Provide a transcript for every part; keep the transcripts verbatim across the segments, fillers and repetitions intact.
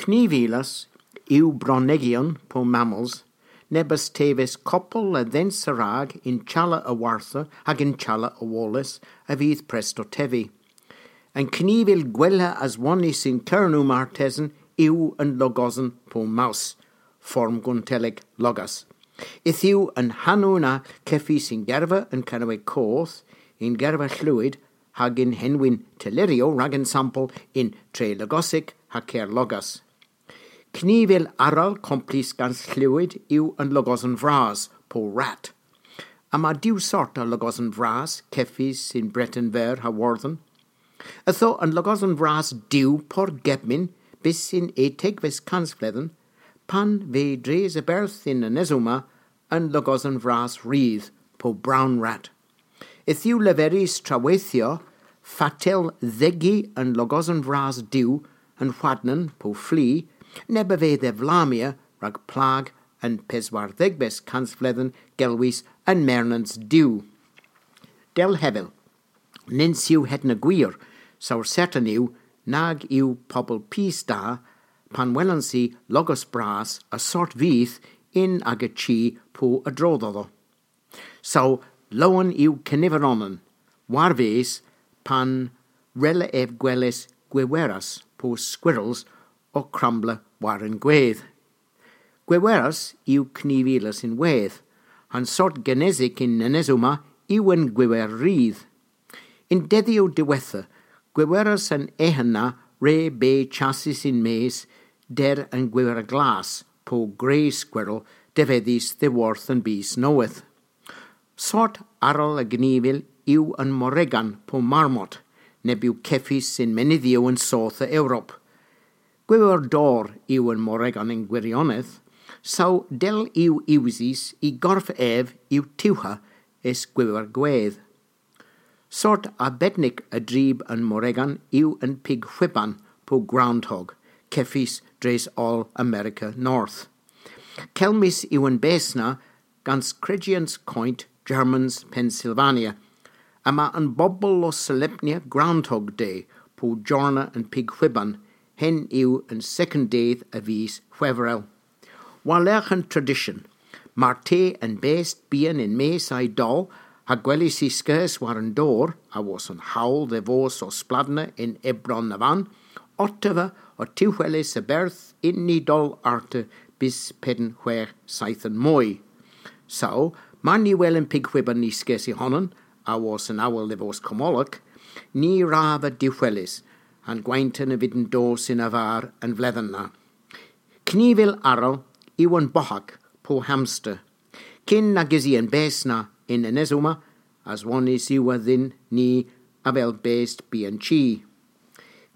Knivilas yw bronegyon po mammals, nebes teves koppel a dhens a-rag yn challa a-wartha hag yn challa a-woles a vydh presto tevi. An knivil gwella aswonnys yn Kernow martesen yw an logosen po mouse, form Gonteleg logas. Yth yw an hanow na kevys yn gerva an Kernewek Koth, yn gerva Hlewyd, hag yn henwyn tylleryow rag ensampel yn Trelogosek ha Kerlogas. Knivil arall komplys gans Hlewyd yw an logosen vras po rat. Yma diw sort a logosen vras kevys yn Breten Veur ha Wordhen. Ytho an logosen vras diw por gebmyn bys yn etegves kansvledhen, pan ve dres a-berth yn anesoma an logosen vras rydh po brown rat. Yth yw leverys traweythyow fatel dhegi an logosen vras diw an hwadnan po fli, neb a veu dhe vlamya rag plag an peswardhegves kansvledhen gelwys an mernans diw. Dell hevel, nyns yw hedna gwir, saw sertan yw nag yw pobel pys da pan welans i logos bras a sort vyth yn aga chi po a-dro dhodho. Saw lowen yw keniver onan, war-ves pan rella ev gweles gwiweras po squirrels ow krambla war an gwedh. Gwiweras yw knivilas ynwedh, an sort genesik yn anesoma yw an gwiwer rydh. Yn dedhyow diwettha, gwiweras an eghen na re beu chassys yn-mes der an gwiwer glas po grey squirrel devedhys dhyworth an bys nowydh. Sort arall a gnivil yw an moregan po marmot, neb yw kevys yn menydhyow an soodh a Europa. Gwiwer dor yw an moregan yn gwirionedh, saw dell yw usys y gorf ev yw tiwha es gwiwer gwedh. Sort arbednik a dryb an moregan yw an pig hwiban po groundhog, kevys dres oll Amerika North. Kelmys yw an bes na gans krejyans koynt Germans Pennsylvania, yma an bobel ow solempnya Groundhog Day po jorna an pig hwiban, henn yw an sekond dydh a vis Hwevrel. War-lergh an tradisyon, martesen best byghan yn-mes a'y doll, ha gwelys y skeuss war an dor, awos an howl dhe vos ow spladna yn ebron na vann, ottava o tiwhelys a-berth yn y doll arta bys pedn, hwegh, seythen moy. Saw, mar ny wel an pig hwiban y skeuss y honan, awos an awel dhe vos kommolok, ny wrav vy diwhelys, ha'n gwenton a vydn dos yn arvar an vledhen na. Knivil arall yw an bohak po hamster. Kyn nag usi an bes na yn anesoma, aswonnys yw a dhyn ni avel best byghan chi.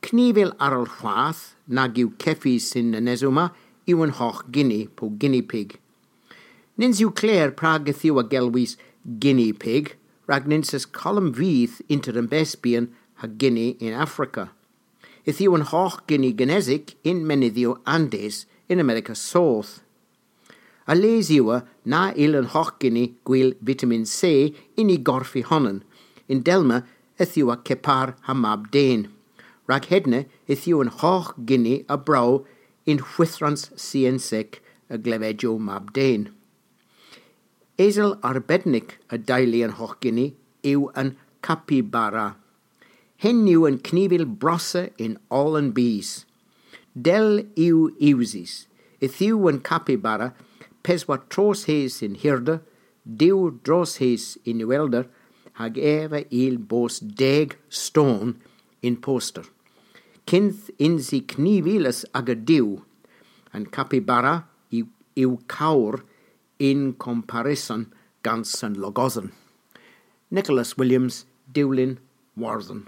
Knivil arall hwath nag yw kevys yn anesoma yw an hogh gini po guinea pig. Nyns yw kler prag yth yw a gelwys guinea pig, rag nyns eus kolm vyth ynter an best byghan ha gini yn Afrika. Yth yw an hogh gini genesik yn menydhyow Andes yn Amerika Soodh. A-les yw na yll an hogh gini gwil vitamin C yn y gorf y honan, yndellma yth yw kepar ha mab den. Rag hedna yth yw an hogh gini a bro yn hwithrans syensek a glevedjow mab den. Esel arbednik a deylu an hogh gini yw an capybara. Henn yw an knivil brossa yn oll an bys. Dell yw usys, yth yw an capybara peswar tros hys yn hirder, diw dros hys yn uhelder, hag ev a yll bos deg ston yn poster. Kynth yns i knivilas aga diw, an capybara yw, yw kowr yn kompareson gans an logosen. Nicholas Williams, Dewlin, Wordhen.